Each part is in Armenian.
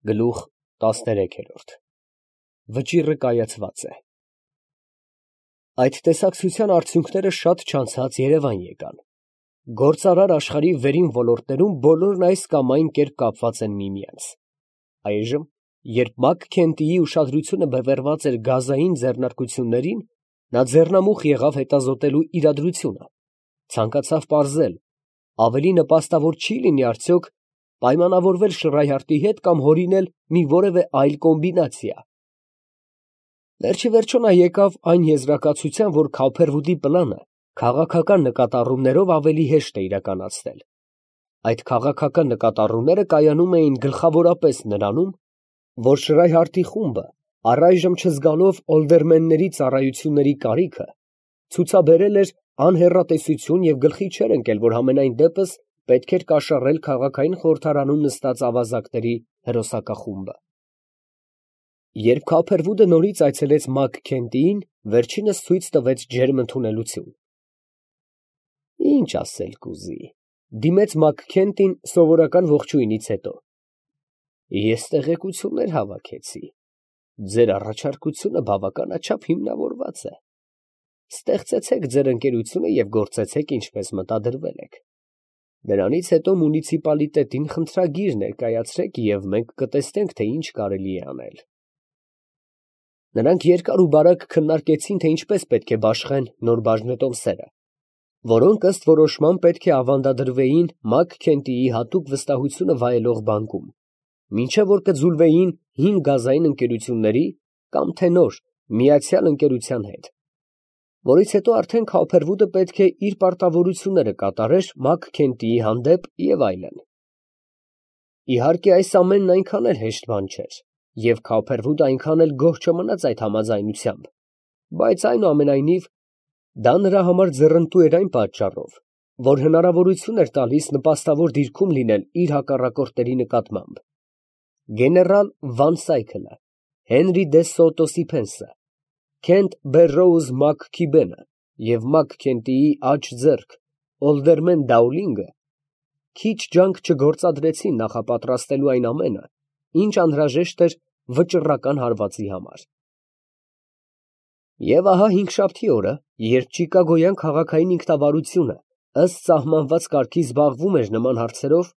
Գլուխ 13 Վճիռը կայացված է։ Այդ տեսակցության արդյունքները շատ չանցած Երևան եկան։ Գործարար աշխարհի վերին ոլորտներում բոլորն այս կամ այն կերպ կապված են միմյանց։ Այժմ, երբ Մակ-Քենթիի ուշադրությունը բևեռված էր գազային ձեռնարկություններին, նա ձեռնամուխ եղավ հետազոտելու իրադրությունը, ցանկացավ պարզել, ավելի նպաստավոր չի լինի արդյոք պայմանավորվել Շռայհարտի հետ կամ հորինել մի որևէ այլ կոմբինացիա։ Վերջիվերջո նա եկավ այն եզրակացության, որ Քոփերվուդի պլանը քաղաքական նկատառումներով ավելի հեշտ է իրականացնել։ Այդ քաղաքական նկատառումները կայանում էին գլխավորապես նրանում, որ Շռայհարտի խումբը, առայժմ չզգալով օլդերմենների ծառայությունների կարիքը, ցուցաբերել էր անհեռատեսություն և գլխի չէր ընկել, որ համենայն դեպս պետք էր կաշառել քաղաքային խորհրդարանում նստած ավազակների հրոսակախումբը։ Երբ Քոփերվուդը նորից այցելեց Մակ-Քենթիին, վերջինս ցույց տվեց ջերմ ընդունելություն։ Ինչ ասել կուզի, դիմեց Մակ֊Քենթին սովորական ողջույնից հետո։ Ես տեղեկություններ հավաքեցի։ Ձեր առաջարկությունը բավականաչափ հիմնավորված է։ Ստեղծեցեք ձեր ընկերությունը և գործեցեք ինչպես մտադրվել եք։ Դրանից հետո մունիցիպալիտետին խնդրագիր ներկայացրեք և մենք կտեսնենք, թե ինչ կարելի է անել։ Նրանք երկար ու բարակ քննարկեցին, թե ինչպես պետք է բաշխեն նոր բաժնետոմսերը, որոնք ըստ որոշման պետք է ավանդադրվեին Մակ-Քենթիի հատուկ վստահությունը վայելող բանկում, մինչև որ կձուլվեին հին գազային ընկերությունների կամ թե նոր միացյալ ընկերության հետ, որից հետո արդեն Քոփերվուդը պետք է իր պարտավորությունները կատարեր Մակ-Քենթիի հանդեպ և այլն։ Իհարկե, այս ամենն այնքան էլ հեշտ բան չէր, և Քոփերվուդը այնքան էլ գոհ չմնաց այդ համաձայնությամբ, բայց այնուամենայնիվ դա նրա համար ձեռնտու էր այն պատճառով, որ հնարավորություն էր տալիս նպաստավոր դիրքում լինել իր հակառակորդների նկատմամբ։ Գեներալ Վան Սայքլը, Հենրի դե Սոտո Սիփենսը, Քենթ Բերրոուզ Մակ֊Քիբենը և Մակ-Քենթիի աջ ձեռք օլդերմեն Դաուլինգը քիչ ջանք չգործադրեցին նախապատրաստելու այն ամենը, ինչ անհրաժեշտ էր վճռական հարվածի համար։ Եվ ահա հինգշաբթի օրը, երբ Չիկագոյան քաղաքային ինքնավարությունը ըստ սահմանված կարգի զբաղվում էր նման հարցերով,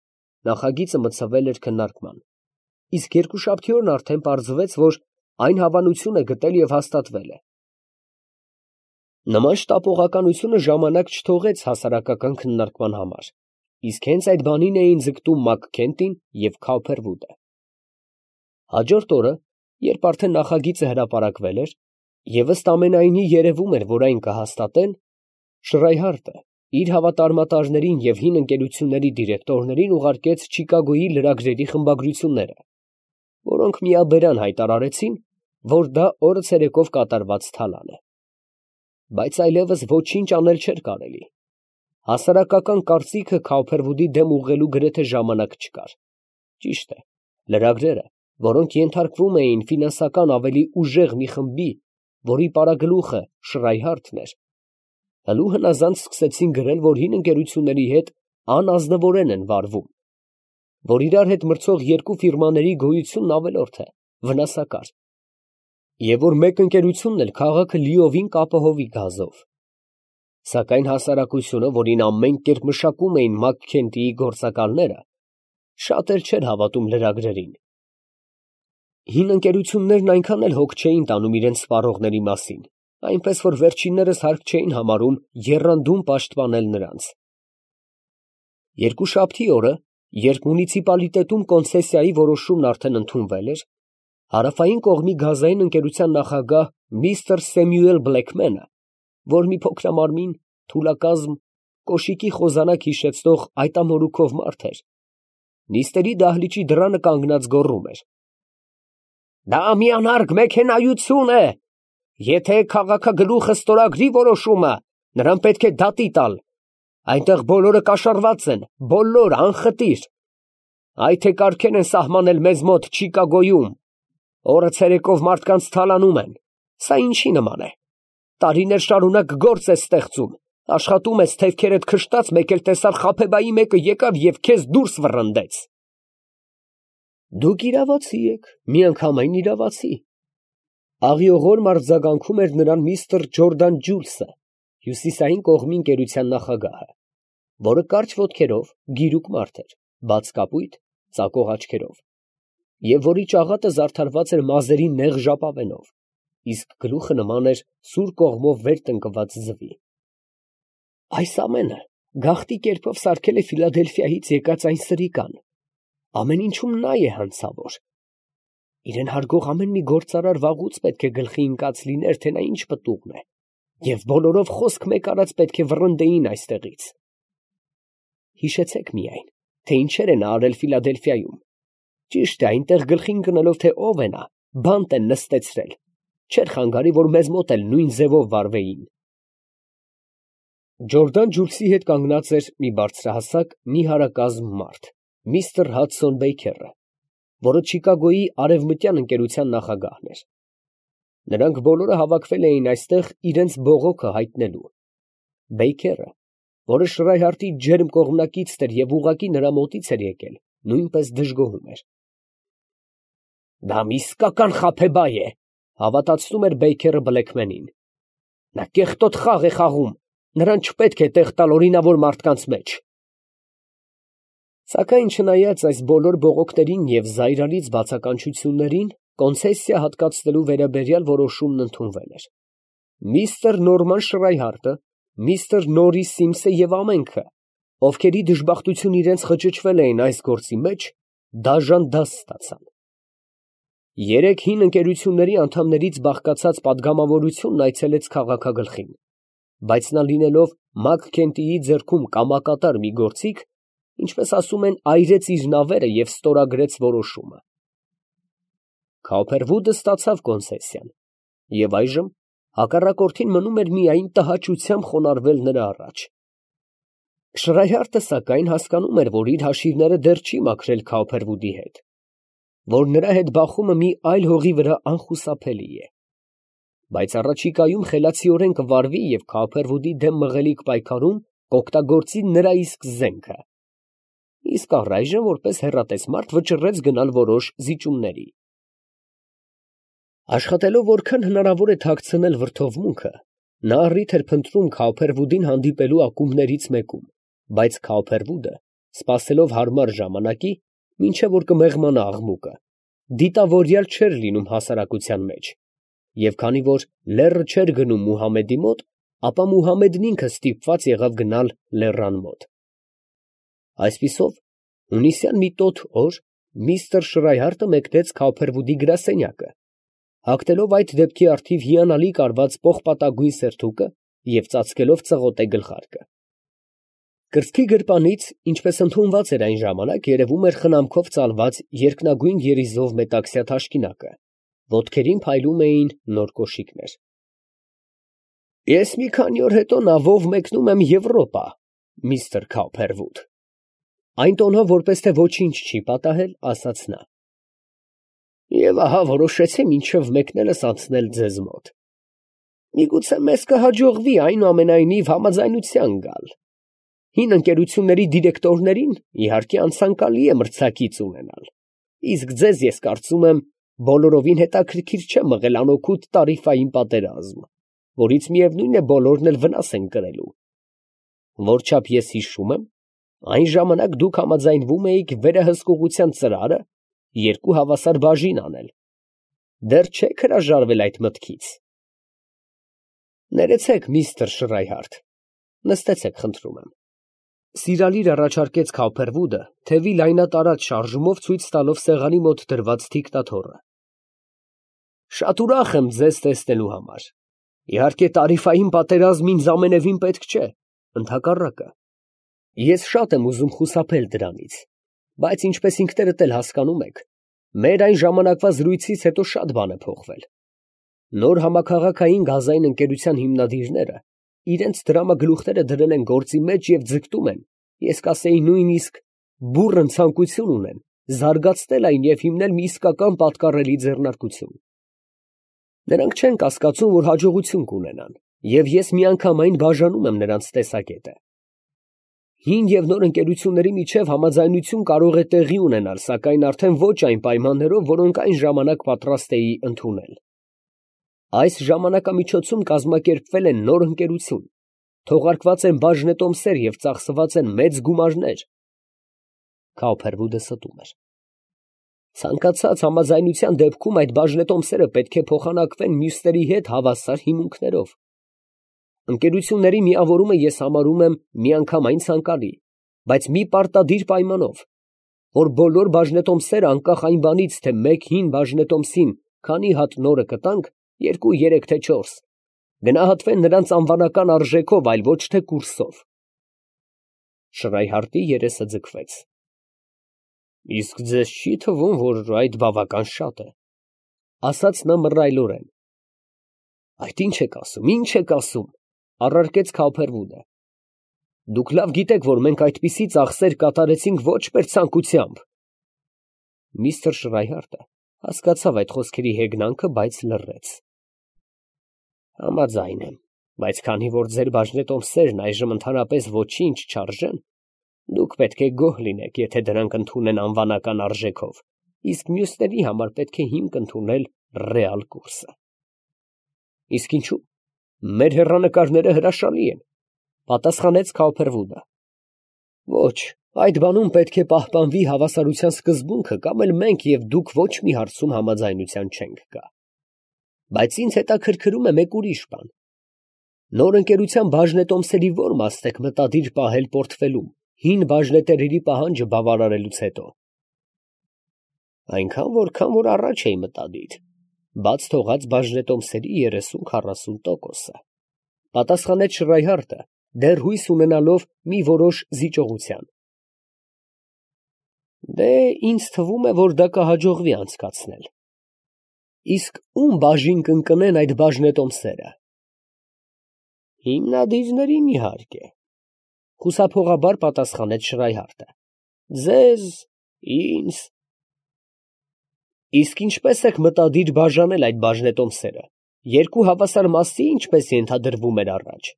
նախագիծը մտցվել էր քննարկման, իսկ երկուշաբթի օրն արդեն պարզվեց, որ այն հավանություն է գտել և հաստատվել է։ Նման շտապողականությունը ժամանակ չթողեց հասարակական քննարկման համար, իսկ հենց այդ բանին էին ձգտում Մակ-Քենթին և Քոփերվուդը։ Հաջորդ օրը, երբ արդեն նախագիծը հրապարակվել էր, և ըստ ամենայնի երևում էր, որ այն կհաստատեն, Շռայհարտը իր հավատարմատարներին և հին ընկերությունների դիրեկտորներին ուղարկեց Չիկագոյի լրագրերի խմբագրությունները, որոնք միաբերան հայտարարեցին, որ դա օրը ցերեկով կատարված թալան է։ Բայց այլևս ոչինչ անել չէր կարելի։ Հասարակական կարծիքը Քոփերվուդի դեմ ուղղելու գրեթե ժամանակ չկար։ Ճիշտ է, լրագրերը, որոնք ենթարկվում էին ֆինանսական ավելի ուժեղ մի խմբի, որի պարագլուխը Շռայհարտն էր, հլու հնազանդ սկսեցին գրել, որ հին ընկերությունների հետ անազնվորեն են վարվում, որ իրար հետ մրցող երկու ֆիրմաների գոյությունն ավելորդ է, վնասակար, և որ մեկ ընկերությունն էլ քաղաքը լիովին կապահովի գազով։ Սակայն հասարակությունը, որին ամեն կերպ մշակում էին Մակ-Քենթիի գործակալները, շատ էլ չէր հավատում լրագրերին։ Հին ընկերություններն այնքան էլ հոգ չէին տանում իրենց սպառողների մասին, այնպես որ վերջիններս հարկ չէին համարում եռանդուն պաշտպանել նրանց։ Երկուշաբթի օրը, երբ մունիցիպալիտետում կոնցեսիայի որոշումն արդեն ընդունվել էր, հարավային կողմի գազային ընկերության նախագահ միստր Սեմյուել Բլեքմենը, որ մի փոքրամարմին, թուլակազմ, կոշիկի խոզանակ հիշեցնող այտամորուքով մարդ էր, նիստերի դահլիճի դռանը կանգնած գոռում էր. «Դա մի անարգ մեքենայություն է. եթե քաղաքագլուխը ստորագրի որոշումը, նրան պետք է դատի տալ. այնտեղ բոլորը կաշառված են, բոլորը անխտիր. այ թե կարգեր են սահմանել մեզ մոտ Չիկագոյում, օրը ցերեկով մարդկանց թալանում են, սա ինչի նման է, տարիներ շարունակ գործ ես ստեղծում, աշխատում ես թևքերդ քշտած, մեկ էլ տեսար Խաբեբայի մեկը եկավ և քեզ դուրս վռնդեց»։ Դուք իրավացի եք, միանգամայն իրավացի։ Աղիողորմ արձագանքում էր նրան միստր Ջորդան Ջուլսը, հյուսիսային կողմի ընկերության նախագահը, որը կարճ ոտքերով, գիրուկ մարդ էր, բաց կապույտ, ծակող աչքերով, և որի ճաղատը զարդարված էր մազերի նեղ ժապավենով, իսկ գլուխը նման էր սուր կողմով վեր տնկված ձվի։ Այս ամենը գաղտնի կերպով սարքել է Ֆիլադելֆիայից եկած այն սրիկան, ամեն ինչում նա է հանցավոր։ Իրեն հարգող ամեն մի գործարար վաղուց պետք է գլխի ընկած լիներ, թե նա ինչ պտուղն է, և բոլորով խոսք մեկ արած պետք է վռնդեին այստեղից։ Հիշեցեք միայն, թե ինչեր է նա արել Ֆիլադելֆիայում։ Ճիշտ է, այնտեղ գլխին ընկնելով, թե ով է նա, բանտ են նստեցրել, չէր խանգարի, որ մեզ մոտ էլ նույն ձևով վարվեին։ Ջորդան Ջուլսի հետ կանգնած էր մի բարձրահասակ, նիհարակազմ մարդ, միստր Հադսոն Բեյքերը, որը Չիկագոյի արևմտյան ընկերության նախագահն էր։ Նրանք բոլորը հավաքվել էին այստեղ իրենց բողոքը հայտնելու։ Բեյքերը, որը Շրայհարտի ջերմ կողմնակիցն էր և ուղղակի նրա մոտից էր եկել, նույնպես դժգոհում էր։ Դա մի իսկական խաբեբայ է, հավատացնում էր Բեյքերը Բլեքմենին։ Նա կեղտոտ խաղ է խաղում, նրան չպետք է տեղ տալ օրինավոր մարդկանց մեջ։ Սակայն չնայած այս բոլոր բողոքներին և զայրալից բացականչություններին, կոնցեսիա հատկացնելու վերաբերյալ որոշումն ընդունվել էր։ Միստր Նորման Շրայհարտը, միստր Նորրիս Սիմսը և ամենքը, ովքերի դժբախտություն իրենց խճճվել էին այս գործի մեջ, դաժան դաս ստացան։ Երեք հին ընկերությունների անդամներից բաղկացած պատգամավորությունն այցելեց քաղաքագլխին, բայց նա լինելով Մաքքենթիի ձեռքում կամակատար մի գործիք, ինչպես ասում են, այրեց իր նավերը և ստորագրեց որոշումը։ Քոփերվուդը ստացավ կոնցեսիան, և այժմ հակառակորդին մնում էր միայն տհաճությամբ խոնարհվել նրա առաջ։ Շրայհարտը, սակայն, հասկանում էր, որ իր հաշիվները դեռ չի մաքրել Քոփերվուդի հետ, որ նրա հետ բախումը մի այլ հողի վրա անխուսափելի է, բայց առաջիկայում խելացիորեն կվարվի և Քոփերվուդի դեմ մղելիք պայքարում կօգտագործի նրա իսկ զենքը։ Իսկ առայժմ, որպես հեռատես մարդ, վճռեց գնալ որոշ զիջումների։ Աշխատելով որքան հնարավոր է թաքցնել վրդովմունքը, նա առիթ էր փնտրում Քոփերվուդին հանդիպելու ակումբներից մեկում, բայց Քոփերվուդը, սպասելով հարմար ժամանակի, մինչև որ կմեղմանա աղմուկը, դիտավորյալ չէր լինում հասարակության մեջ, և քանի որ լեռը չէր գնում Մուհամմեդի մոտ, ապա Մուհամմեդն ինքը ստիպված եղավ գնալ լեռան մոտ։ Այսպիսով, հունիսյան մի տոտ օր միստր Շրայհարտը մեկնեց Քոփերվուդի գրասենյակը, հագնելով այդ դեպքի առթիվ հիանալի կարված պողպատագույն սերթուկը և ծածկելով ծղոտե գլխարկը։ Կրծքի գրպանից, ինչպես ընդունված էր այն ժամանակ, երևում էր խնամքով ծալված երկնագույն երիզով մետաքսյա թաշկինակը, ոտքերին փայլում էին նոր կոշիկներ։ Ես մի քանի օր հետո նավով մեկնում եմ Եվրոպա, միստր Քոփերվուդ։ Այն տոնով, որպես թե ոչինչ չի պատահել, ասաց նա. Եվ ահա որոշեցի մինչև մեկնելս անցնել ձեզ մոտ։ Միգուցե մեզ կհաջողվի այնուամենայնիվ համաձայնության գալ։ Հին ընկերությունների դիրեկտորներին, իհարկե, անցանկալի է մրցակից ունենալ, իսկ ձեզ, ես կարծում եմ, բոլորովին հետաքրքիր չէ մղել անօգուտ տարիֆային պատերազմ, որից միևնույն է բոլորն էլ վնաս են կրելու։ Որչափ ես հիշում եմ, այն ժամանակ դուք համաձայնվում էիք վերահսկողության ծրարը երկու հավասար բաժին անել։ Դեռ չեք հրաժարվել այդ մտքից։ Ներեցեք, միստր Շրայհարտ, նստեցեք, խնդրում եմ։ Սիրալիր առաջարկեց Քոփերվուդը, թևի լայնատարած շարժումով ցույց տալով սեղանի մոտ դրված թիկտաթոռը։ Շատ ուրախ եմ ձեզ տեսնելու համար։ Իհարկե, տարիֆային պատերազմ ինձ ամենևին պետք չէ, ընդհակառակը։ Ես շատ եմ ուզում խուսափել դրանից, բայց ինչպես ինքներդ էլ հասկանում եք, մեր այն ժամանակվա զրույցից հետո շատ բան է փոխվել։ Նոր համակարգային գազային ընկերության հիմնադիրները իրենց դրամագլուխները դրել են գործի մեջ և ձգտում են, ես կասեի նույնիսկ բուռն ցանկություն ունեն զարգացնել այն և հիմնել մի իսկական պատկառելի ձեռնարկություն։ Նրանք չեն կասկածում, որ հաջողություն կունենան, և ես միանգամայն բաժանում եմ նրանց տեսակետը։ Հին և նոր ընկերությունների միջև համաձայնություն կարող է տեղի ունենալ, սակայն արդեն ոչ այն պայմաններով, որոնք այն ժամանակ պատրաստ էի ընդունել։ Այս ժամանակամիջոցում կազմակերպվել է նոր ընկերություն, թողարկված են բաժնետոմսեր և ծախսված են մեծ գումարներ։ Քաուփերվուդը ստում էր։ Ցանկացած համաձայնության դեպքում այդ բաժնետոմսերը պետք է փոխանակվեն մյուսների հետ հավասար հիմունքներով։ Ընկերությունների միավորումը ես համարում եմ միանգամայն ցանկալի, բայց մի պարտադիր պայմանով, որ բոլոր բաժնետոմսերը անկախ այն բանից, թե մեկ հին բաժնետոմսին քանի հատ նորը կտանք, 2, 3, թե 4, գնահատվեն նրանց անվանական արժեքով, այլ ոչ թե կուրսով։ Շրայհարտի երեսը ձգվեց։ Իսկ ձեզ չի թվում, որ այդ բավական շատ է, ասաց նա մռայլորեն։ Այդ ինչ եք ասում, առարկեց Քաուփերվուդը։ Դուք լավ գիտեք, որ մենք այդպիսի ծախսեր կատարեցինք ոչ պերծանկությամբ։ Միստր Շրայհարտը հասկացավ այդ խոսքերի հեգնանքը, բայց լռեց։ Համաձայն եմ, բայց քանի որ ձեր բաժնետոմսերն այժմ ընդհանրապես ոչինչ չարժեն, դուք պետք է գոհ լինեք, եթե դրանք ընդունեն անվանական արժեքով, իսկ մյուսների համար պետք է հիմք ընդունել ռեալ կուրսը։ Իսկ ինչու՞։ Մեր հեռանկարները հրաշալի են, պատասխանեց Քաուփերվուդը։ Ոչ, այդ բանում պետք է պահպանվի հավասարության սկզբունքը, կամ էլ մենք և դուք ոչ մի հարցում համաձայնության չենք գա։ Բայց ինձ հետաքրքրում է մեկ ուրիշ բան։ Նոր ընկերության բաժնետոմսերի ո՞ր մասն եք մտադիր պահել պորտֆելում, հին բաժնետերերի պահանջը բավարարելուց հետո։ Այնքան, որքան որ առաջ էի մտադիր, բաց թողած բաժնետոմսերի 30-40%-ը, պատասխանեց Շրայհարտը, դեռ հույս ունենալով մի որոշ զիջողության։ Դե, ինձ թվում է, որ դա կհաջողվի անցկացնել։ Իսկ ում բաժին կընկնեն այդ բաժնետոմսերը։ Հիմնադիրներին, իհարկե, խուսափողաբար պատասխանեց Շրայհարտը։ Ձեզ, ինձ։ Իսկ ինչպես եք մտադիր բաժանել այդ բաժնետոմսերը, երկու հավասար մասի, ինչպես ենթադրվում էր առաջ։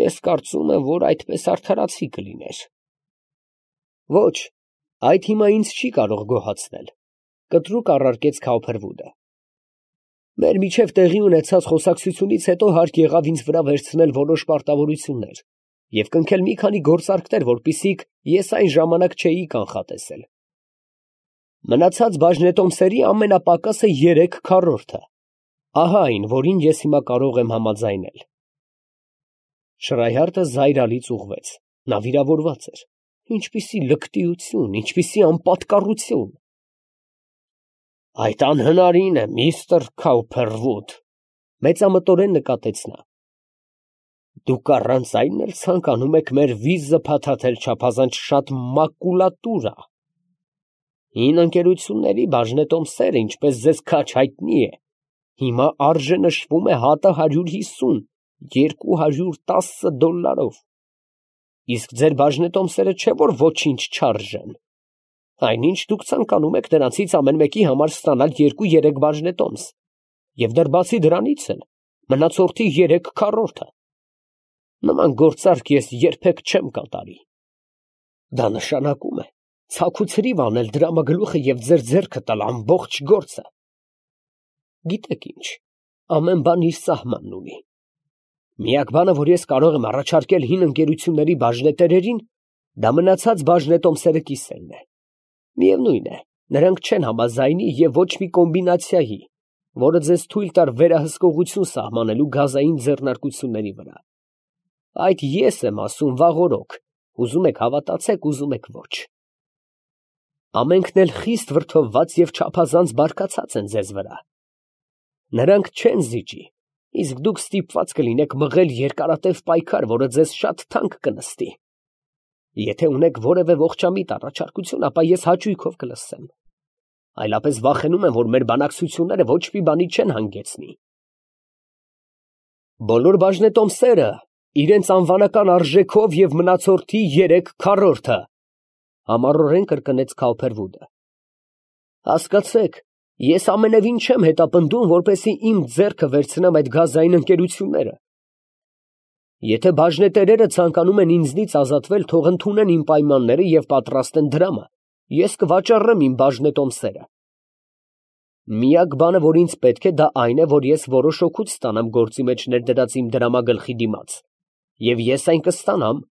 Ես կարծում եմ, որ այդպես արդարացի կլիներ։ Ոչ, այդ հիմա ինձ չի կարող գոհացնել, կտրուկ առարկեց Քաուփերվուդը։ Մեր միջև տեղի ունեցած խոսակցությունից հետո հարկ եղավ ինձ վրա վերցնել որոշ պարտավորություններ և կնքել մի քանի գործարքներ, որպեսզի ես այն ժամանակ չէի կանխատեսել։ Մնացած բաժնետոմսերի ամենապակասը 3/4-ը, ահա այն, որին ես հիմա կարող եմ համաձայնել։ Շրայհարտը զայրալից ուղղվեց, նա վիրավորված էր։ Ինչպիսի լկտիություն, ինչպիսի անպատկառություն։ Այդ անհնարին է, միստր Քաուփերվուդ, մեծամտորեն նկատեց նա։ Դուք առանց այն էլ ցանկանում եք մեր վիզը փաթաթել չափազանց շատ մակուլատուրա։ Հին ընկերությունների բաժնետոմսերը, ինչպես ձեզ քաչ հայտնի է, հիմա արժե նշվում է հատը 150, $210։ Իսկ ձեր բաժնետոմսերը չէ, որ ոչինչ չարժեն։ Այնինչ դուք ցանկանում եք նրանցից ամեն մեկի համար ստանալ 2-3 բաժնետոմս, և դեռ բացի դրանից էլ մնացորդի 3/4-ը։ Նման գործարք ես երբեք չեմ կատարի։ Դա նշանակում է ցաք ու ցրիվ անել դրամագլուխը և ձեր ձեռքը տալ ամբողջ գործը։ Գիտեք ինչ, ամեն բան իր սահմանն ունի։ Միակ բանը, որ ես կարող եմ առաջարկել հին ընկերությունների բաժնետերերին, դա մնացած բաժնետոմսերը կիսելն է։ Միևնույն է, նրանք չեն համաձայնի և ոչ մի կոմբինացիայի, որը ձեզ թույլ տար վերահսկողություն սահմանելու գազային ձեռնարկությունների վրա։ Այդ ես եմ ասում վաղօրոք, ուզում եք հավատացեք, ուզում եք ոչ։ Ամենքն էլ խիստ վրդովված և չափազանց բարկացած են ձեզ վրա։ Նրանք չեն զիջի, իսկ դուք ստիպված կլինեք մղել երկարատև պայքար, որը ձեզ շատ թանկ կնստի։ Եթե ունեք որևէ ողջամիտ առաջարկություն, ապա ես հաճույքով կլսեմ։ Այլապես վախենում եմ, որ մեր բանակցությունները ոչ մի բանի չեն հանգեցնի։ Բոլոր բաժնետոմսերը իրենց անվանական արժեքով և մնացորդի 3/4-ը, համառորեն կրկնեց Քաուփերվուդը։ Հասկացեք, ես ամենևին չեմ հետապնդում, որպեսզի իմ ձեռքը վերցնեմ այդ գազային ընկերությունները։ Եթե բաժնետերերը ցանկանում են ինձնից ազատվել, թող ընդունեն իմ պայմանները և պատրաստեն դրամը, ես կվաճառեմ իմ բաժնետոմսերը։ Միակ բանը, որ ինձ պետք է, դա այն է, որ ես որոշ օգուտ ստանամ գործի մեջ ներդրած իմ դրամագլխի դիմաց, և ես այն կստանամ։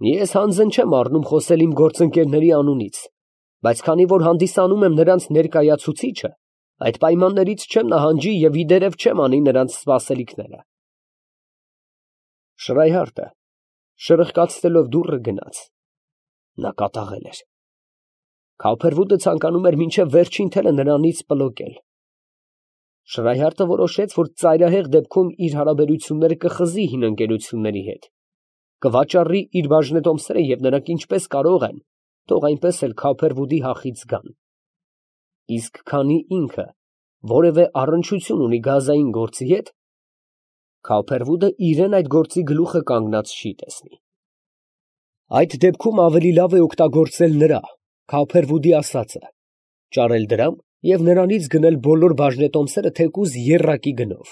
Ես հանձն չեմ առնում խոսել իմ գործընկերների անունից, բայց քանի որ հանդիսանում եմ նրանց ներկայացուցիչը, այդ պայմաններից չեմ նահանջի և իդերև չեմ անի նրանց սպասելիքները։ Շրայհարտը շրխկացնելով դուռը գնաց։ Նա կատաղել էր։ Քավփերվուդը ցանկանում էր մինչև վերջին թելը նրանից պլոկել։ Շրայհարտը որոշեց, որ ծայրահեղ դեպքում իր հարաբերությունները կխզի հին ընկերությունների հետ, կվաճառի իր բաժնետոմսերը և նրանք ինչպես կարող են, թող այնպես էլ Քավփերվուդի հախից գան։ Իսկ քանի ինքը որևէ առնչություն ունի գազային գործի հետ, Քավփերվուդը իրեն այդ գործի գլուխը կանգնած չի տեսնի։ Այդ դեպքում ավելի լավ է օգտագործել նրա, Քավփերվուդի ասածը, ճարել դրամ և նրանից գնել բոլոր բաժնետոմսերը թեկուզ եռակի գնով։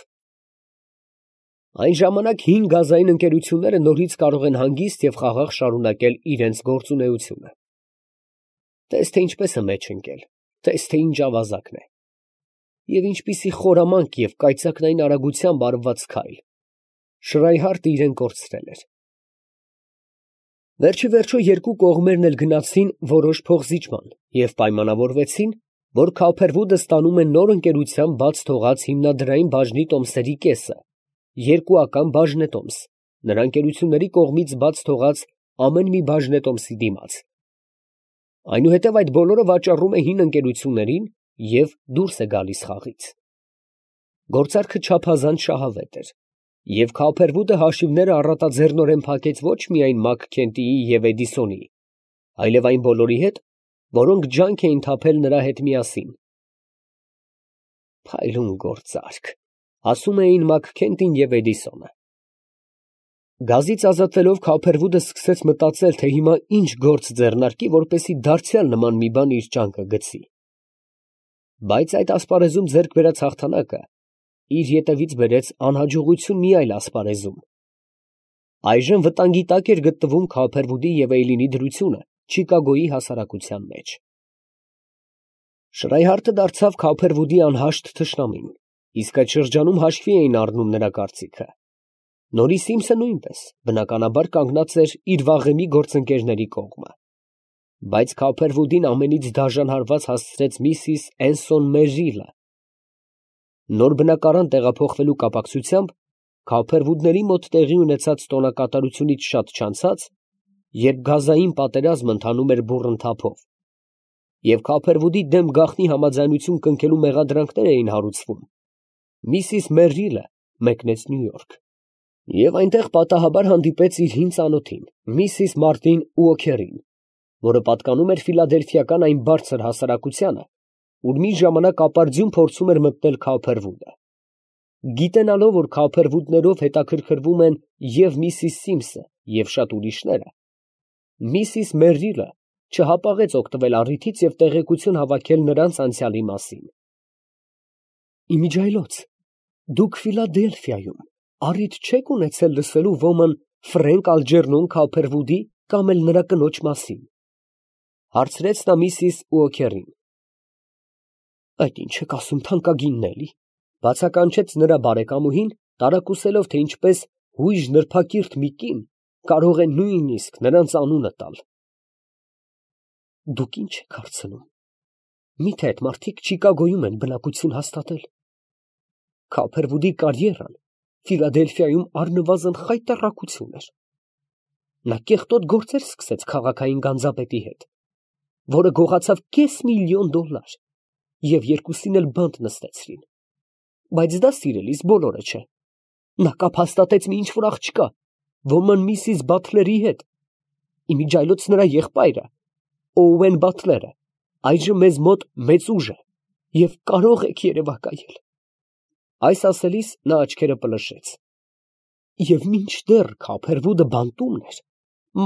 Այն ժամանակ հին գազային ընկերությունները նորից կարող են հանգիստ և խաղաղ շարունակել իրենց գործունեությունը։ Տես թե ինչպես է մեջ ընկել, տես թե ինչ ավազակն է, և ինչպիսի խորամանկ և կայծակնային արագությամբ արված քայլ։ Շրայհարտը իրեն կորցրել էր։ Վերջի վերջո երկու կողմերն էլ գնացին որոշ փոխզիջման և պայմանավորվեցին, որ Քավփերվուդը ստանում է նոր ընկերությամբ բաց թողած հիմնադրային բաժնի տոմսերի կեսը, երկուական բաժնետոմս, նրա ընկերությունների կողմից բաց թողած ամեն մի բաժնետոմսի դիմաց։ Այնուհետև այդ բոլորը վաճառում է հին ընկերություններին և դուրս է գալիս խաղից։ Գործարքը չափազանց շահավետ էր, և Քավփերվուդը հաշիվները առատաձեռնորեն փակեց ոչ միայն Մաքքենթիի և Էդիսոնի, այլև այն բոլորի հետ, որոնք ջանք էին թափել նրա հետ միասին։ Փայլուն գործարք, ասում էին Մաքքենթին և Էդիսոնը։ Գազից ազատվելով Քավփերվուդը սկսեց մտածել, թե հիմա ինչ գործ ձեռնարկի, որպեսզի դարձյալ նման մի բան իր ջանքը գցի։ Բայց այդ ասպարեզում ձեռք բերած հաղթանակը իր ետևից բերեց անհաջողություն մի այլ ասպարեզում։ Այժմ վտանգի տակ էր գտնվում Քավփերվուդի և Էյլինի դրությունը Չիկագոյի հասարակության մեջ։ Շրայհարտը դարձավ Քավփերվուդի անհաշտ թշնամին, իսկ այդ շրջանում հաշվի էին առնում նրա կարծիքը։ Նորի Սիմսը նույնպես, բնականաբար, կանգնած էր իր վաղեմի գործընկերների կողմը։ Բայց Քավփերվուդին ամենից դաժան հարված հասցրեց միսիս Էնսոն Մերրիլը։ Նոր բնակարան տեղափոխվելու կապակցությամբ Քավփերվուդների մոտ տեղի ունեցած տոնակատարությունից շատ չանցած, երբ գազային պատերազմը ընթանում էր բուռն թափով, և Քավփերվուդի դեմ գաղտնի համաձայնություն կնքելու մեղադրանքներ էին հարուցվում, միսիս Մերրիլը մեկնեց Նյու Յորք և այնտեղ պատահաբար հանդիպեց իր հին ծանոթին, միսիս Մարտին Ուոքերին, որը պատկանում էր ֆիլադելֆիական այն բարձր հասարակությանը, ուր մի ժամանակ ապարդյուն փորձում էր մտնել Քավփերվուդը։ Գիտենալով, որ Քավփերվուդներով հետաքրքրվում են և միսիս Սիմսը, և շատ ուրիշները, միսիս Մերրիլը չհապաղեց օգտվել առիթից և տեղեկություն հավաքել նրանց անցյալի մասին։ Իմիջիայլոց, դուք Ֆիլադելֆիայում առիթ չեք ունեցել լսելու ոմն Ֆրենկ Ալջերնոն Քավփերվուդի կամ էլ նրա կնոջ մասին, հարցրեց նա միսիս Ուոքերին։ Այդ ինչ եք ասում, թանկագինն էլի, բացականչեց նրա բարեկամուհին, տարակուսելով, թե ինչպես հույժ նրբակիրթ մի կին կարող է նույնիսկ նրանց անունը տալ։ Դուք ինչ եք հարցնում, միթե այդ մարդիկ Չիկագոյում են բնակություն հաստատել։ Քավփերվուդի կարիերան Ֆիլադելֆիայում առնվազն խայտառակություն էր։ Նա կեղտոտ գործեր սկսեց քաղաքային գանձապետի հետ, որը գողացավ $500,000 և երկուսին էլ բանտ նստեցրին։ Բայց դա, սիրելիս, բոլորը չէ։ Նա կապ հաստատեց մի ինչ֊որ աղջկա, ոմն միսիս Բաթլերի հետ։ Իմիջիայլոց նրա եղբայրը, Օուեն Բաթլերը, այժմ մեզ մոտ մեծ ուժ է և կարող եք երևակայել։ Այս ասելիս նա աչքերը պլշեց։ Եվ մինչդեռ Քավփերվուդը բանտումն էր,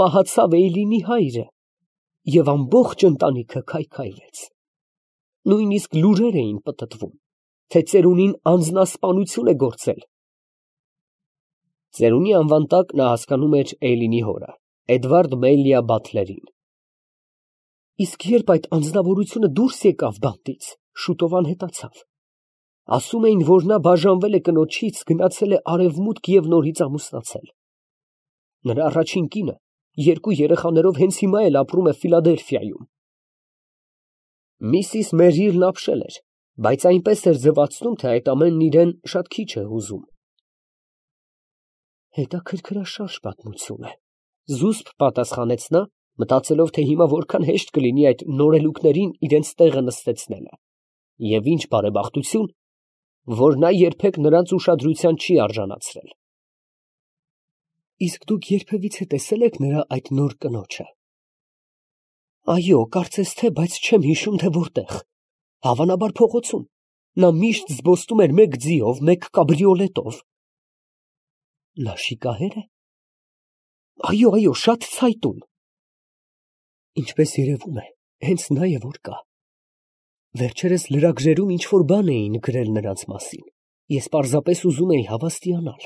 մահացավ Էյլինի հայրը, և ամբողջ ընտանիքը քայքայվեց։ Նույնիսկ լուրեր էին պտտվում, թե ծերունին անձնասպանություն է գործել։ Ծերունի անվան տակ նա հասկանում էր Էյլինի հորը, Էդվարդ Մելիա Բաթլերին։ Իսկ երբ այդ անձնավորությունը դուրս եկավ բանտից, շուտով անհետացավ։ Ասում էին, որ նա բաժանվել է կնոջից, գնացել է արևմուտք և նորից ամուսնացել։ Նրա առաջին կինը 2 երեխաներով հենց հիմա էլ ապրում է Ֆիլադելֆիայում։ Միսիս Մերիլն ապշել էր, բայց այնպես էր ձևացնում, թե այդ ամենն իրեն շատ քիչ է հուզում։ Հետաքրքրաշարժ պատմություն է, զուսպ պատասխանեց նա, մտածելով, թե հիմա որքան հեշտ կլինի այդ նորելուկներին իրենց տեղը նստեցնելը, և ինչ բարեբախտություն, որ նա երբեք նրանց ուշադրության չի արժանացրել։ Իսկ դուք երբևիցե տեսել եք նրա այդ նոր կնոջը։ Այո, կարծես թե, բայց չեմ հիշում, թե որտեղ։ Հավանաբար փողոցում։ Նա միշտ զբոսնում էր մեկ ձիով, մեկ կաբրիոլետով։ Նա շիկահե՞ր է։ Այո, շատ ցայտուն։ Ինչպես երևում է, հենց նա է որ կա։ Վերջերս լրագրերում ինչ-որ բան էին գրել նրանց մասին։ Ես պարզապես ուզում էի հավաստիանալ։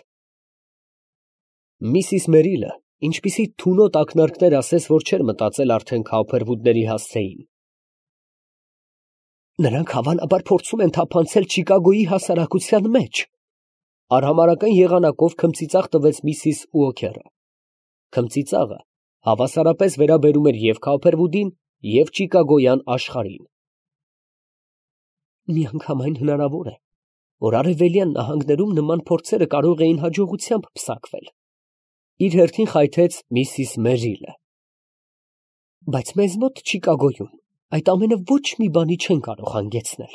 Միսիս Մերիլը, ինչպիսի թունոտ ակնարկներ ասես, որ չէր մտածել արդեն Քաուփերվուդների հասցեին։ Նրանք հավանաբար փորձում են թափանցել Չիկագոյի հասարակության մեջ, արհամարհական եղանակով քմծիծաղ տվեց միսիս Ուոքերը։ Քմծիծաղը հավասարապես վերաբերում էր և Քաուփերվուդին, և Չիկագոյան աշխարհին։ Միանգամայն հնարավոր է, որ արևելյան նահանգներում նման փորձերը կարող էին հաջողությամբ պսակվել։ Իր հերթին խայթեց միսիս Մերիլը։ Բայց մեզ մոտ Չիկագոյում այդ ամենը ոչ մի բանի չեն կարող հանգեցնել։